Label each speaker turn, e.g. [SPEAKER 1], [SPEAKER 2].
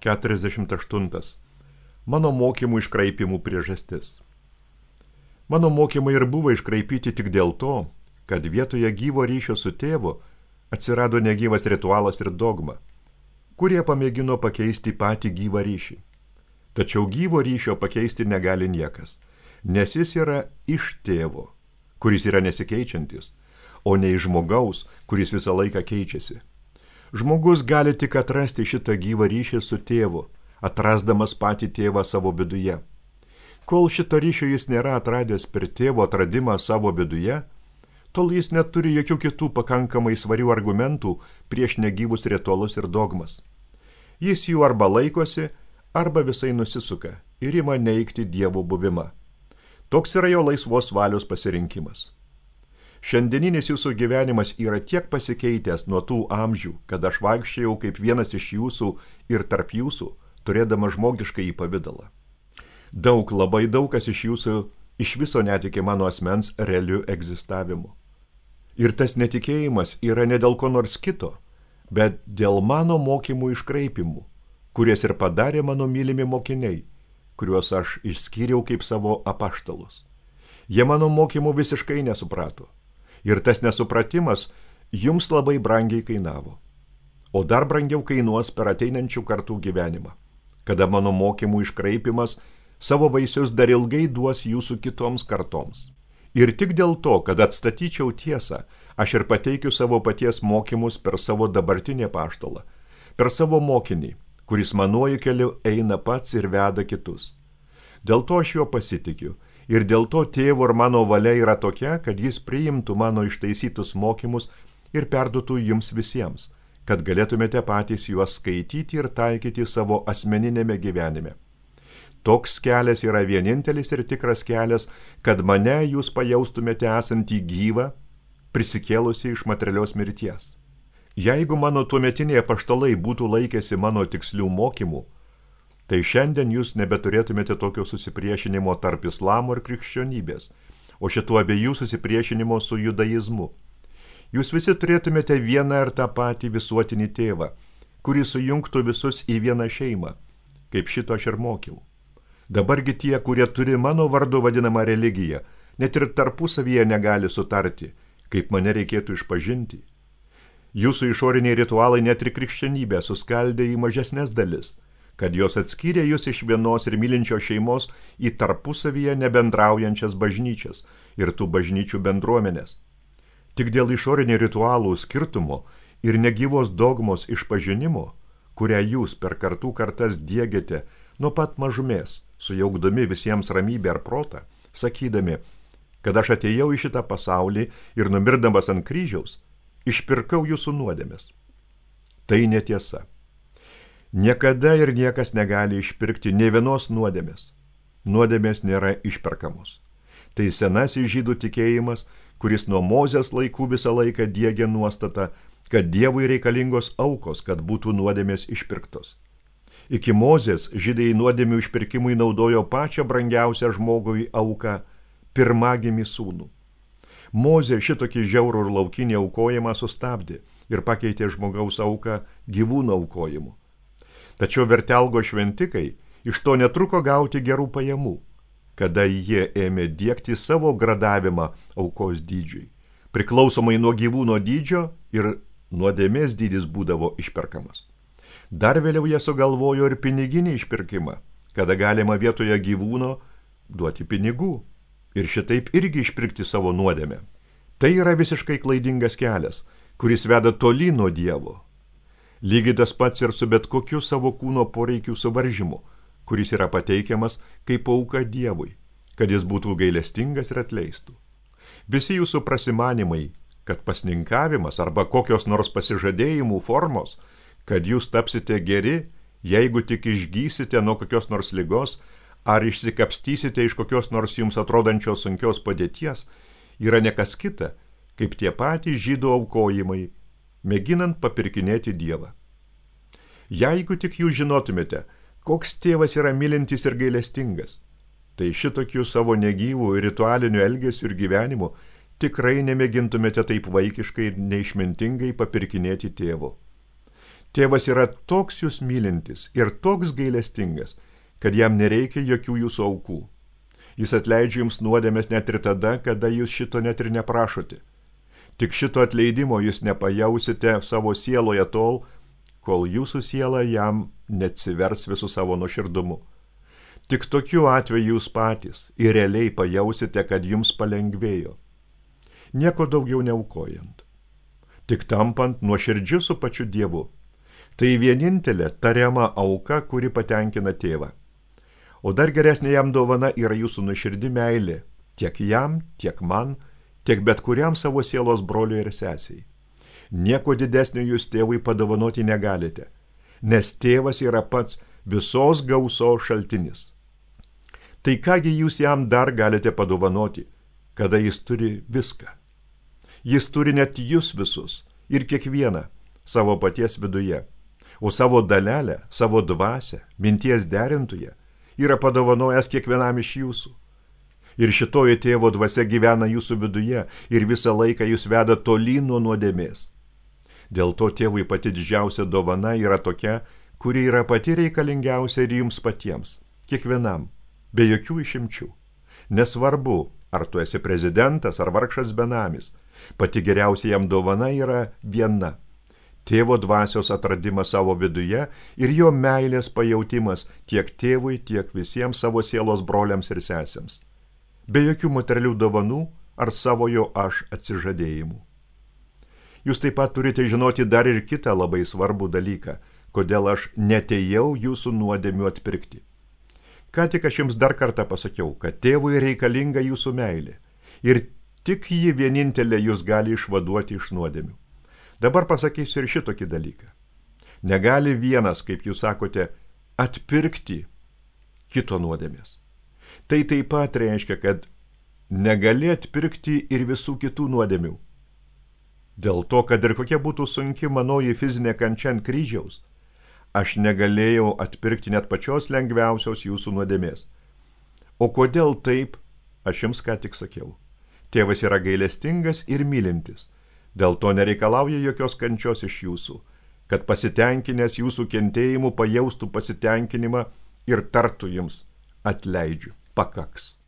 [SPEAKER 1] 48. Mano mokymų iškraipimų priežastis. Mano mokymai ir buvo iškraipyti tik dėl to, kad vietoje gyvo ryšio su tėvu atsirado negyvas ritualas ir dogma, kurie pamėgino pakeisti patį gyvą ryšį. Tačiau gyvo ryšio pakeisti negali niekas, nes jis yra iš tėvo, kuris yra nesikeičiantis, o ne iš žmogaus, kuris visą laiką keičiasi. Žmogus gali tik atrasti šitą gyvą ryšį su tėvu, atrasdamas patį tėvą savo viduje. Kol šito ryšio jis nėra atradęs per tėvo atradimą savo viduje, tol jis neturi jokių kitų pakankamai svarių argumentų prieš negyvus ritualus ir dogmas. Jis jų arba laikosi, arba visai nusisuka ir ima neigti Dievo buvimą. Toks yra jo laisvos valios pasirinkimas. Šiandieninis jūsų gyvenimas yra tiek pasikeitęs nuo tų amžių, kad aš vaikščiojau kaip vienas iš jūsų ir tarp jūsų, turėdama žmogišką į pavidalą. Labai daug kas iš jūsų iš viso netikė mano asmens realiu egzistavimu. Ir tas netikėjimas yra ne dėl ko nors kito, bet dėl mano mokymų iškraipimų, kurias ir padarė mano mylimi mokiniai, kuriuos aš išskyriau kaip savo apaštalus. Jie mano mokymų visiškai nesuprato. Ir tas nesupratimas jums labai brangiai kainavo. O dar brangiau kainuos per ateinančių kartų gyvenimą, kada mano mokymų iškraipimas savo vaisius dar ilgai duos jūsų kitoms kartoms. Ir tik dėl to, kad atstatyčiau tiesą, aš ir pateikiu savo paties mokymus per savo dabartinį apaštalą, per savo mokinį, kuris manuoju keliu eina pats ir veda kitus. Dėl to aš juo pasitikiu. Ir dėl to tėvo ir mano valia yra tokia, kad jis priimtų mano ištaisytus mokymus ir perduotų jums visiems, kad galėtumėte patys juos skaityti ir taikyti savo asmeninėme gyvenime. Toks kelias yra vienintelis ir tikras kelias, kad mane jūs pajaustumėte esantį gyvą, prisikėlusi iš materialios mirties. Jeigu mano tuometiniai apaštalai būtų laikėsi mano tikslių mokymų, tai šiandien jūs nebeturėtumėte tokio susipriešinimo tarp islamo ir krikščionybės, o šitų abiejų susipriešinimo su judaizmu. Jūs visi turėtumėte vieną ir tą patį visuotinį tėvą, kuris sujungtų visus į vieną šeimą, kaip šito aš ir mokiau. Dabargi tie, kurie turi mano vardu vadinamą religiją, net ir tarpusavyje negali sutarti, kaip mane reikėtų išpažinti. Jūsų išoriniai ritualai net ir krikščionybę suskaldė į mažesnes dalis, kad jos atskyrė jūs iš vienos ir mylinčios šeimos į tarpusavyje nebendraujančias bažnyčias ir tų bažnyčių bendruomenės. Tik dėl išorinių ritualų skirtumo ir negyvos dogmos išpažinimo, kurią jūs per kartų kartas diegiate nuo pat mažumės, sujaukdami visiems ramybę ar protą, sakydami, kad aš atėjau į šitą pasaulį ir numirdamas ant kryžiaus, išpirkau jūsų nuodėmes. Tai netiesa. Niekada ir niekas negali išpirkti nė vienos nuodėmės. Nuodėmės nėra išperkamos. Tai senasis žydų tikėjimas, kuris nuo Mozės laikų visą laiką diegė nuostatą, kad Dievui reikalingos aukos, kad būtų nuodėmės išpirktos. Iki Mozės žydai nuodėmių išpirkimui naudojo pačią brangiausią žmogui auką – pirmagimį sūnų. Mozė šitokį žiaurų ir laukinį aukojimą sustabdė ir pakeitė žmogaus auką gyvūno aukojimu. Tačiau vertelgo šventikai iš to netruko gauti gerų pajamų, kada jie ėmė diegti savo gradavimą aukos dydžiui. Priklausomai nuo gyvūno dydžio ir nuodėmės dydis būdavo išperkamas. Dar vėliau jie sugalvojo ir piniginį išpirkimą, kada galima vietoje gyvūno duoti pinigų ir šitaip irgi išpirkti savo nuodėmę. Tai yra visiškai klaidingas kelias, kuris veda toli nuo Dievo. Lygiai tas pats ir su bet kokiu savo kūno poreikių suvaržymu, kuris yra pateikiamas kaip auka Dievui, kad jis būtų gailestingas ir atleistų. Visi jūsų prasimanimai, kad pasninkavimas arba kokios nors pasižadėjimų formos, kad jūs tapsite geri, jeigu tik išgysite nuo kokios nors ligos ar išsikapstysite iš kokios nors jums atrodančios sunkios padėties, yra nekas kita, kaip tie patys žydų aukojimai, mėginant papirkinėti Dievą. Jeigu tik jūs žinotumėte, koks tėvas yra mylintis ir gailestingas, tai šitokių savo negyvų ir ritualinių elgesių ir gyvenimų tikrai nemėgintumėte taip vaikiškai ir neišmintingai papirkinėti tėvo. Tėvas yra toks jūs mylintis ir toks gailestingas, kad jam nereikia jokių jūsų aukų. Jis atleidžia jums nuodėmes net ir tada, kada jūs šito net ir neprašote. Tik šito atleidimo jūs nepajausite savo sieloje tol, kol jūsų siela jam neatsivers visų savo nuoširdumu. Tik tokiu atveju jūs patys ir realiai pajausite, kad jums palengvėjo. Nieko daugiau neaukojant. Tik tampant nuoširdžiu su pačiu Dievu. Tai vienintelė tariama auka, kuri patenkina tėvą. O dar geresnė jam dovana yra jūsų nuoširdi meilė, tiek jam, tiek man, tiek bet kuriam savo sielos broliui ir sesiai. Nieko didesnio jūs tėvui padovanoti negalite, nes tėvas yra pats visos gausos šaltinis. Tai kągi jūs jam dar galite padovanoti, kada jis turi viską. Jis turi net jūs visus ir kiekvieną savo paties viduje, o savo dalelę, savo dvasią, minties derintoje yra padovanojęs kiekvienam iš jūsų. Ir šitoji tėvo dvasia gyvena jūsų viduje ir visą laiką jūs veda tolyn nuo nuodėmės. Dėl to tėvui pati didžiausia dovana yra tokia, kuri yra pati reikalingiausia ir jums patiems, kiekvienam, be jokių išimčių. Nesvarbu, ar tu esi prezidentas ar vargšas benamis, pati geriausia jam dovana yra viena. Tėvo dvasios atradimas savo viduje ir jo meilės pajautimas tiek tėvui, tiek visiems savo sielos broliams ir sesėms. Be jokių materialių dovanų ar savojo aš atsižadėjimų. Jūs taip pat turite žinoti dar ir kitą labai svarbų dalyką, kodėl aš netėjau jūsų nuodėmių atpirkti. Ką tik aš jums dar kartą pasakiau, kad tėvui reikalinga jūsų meilė ir tik ji vienintelė jūs gali išvaduoti iš nuodėmių. Dabar pasakysiu ir šitokį dalyką. Negali vienas, kaip jūs sakote, atpirkti kito nuodėmės. Tai taip pat reiškia, kad negali atpirkti ir visų kitų nuodėmių. Dėl to, kad ir kokia būtų sunki manoji fizinė kančia ant kryžiaus, aš negalėjau atpirkti net pačios lengviausios jūsų nuodėmės. O kodėl taip, aš jums ką tik sakiau. Tėvas yra gailestingas ir mylintis, dėl to nereikalauja jokios kančios iš jūsų, kad pasitenkinęs jūsų kentėjimu pajaustų pasitenkinimą ir tartų jums atleidžiu, pakaks.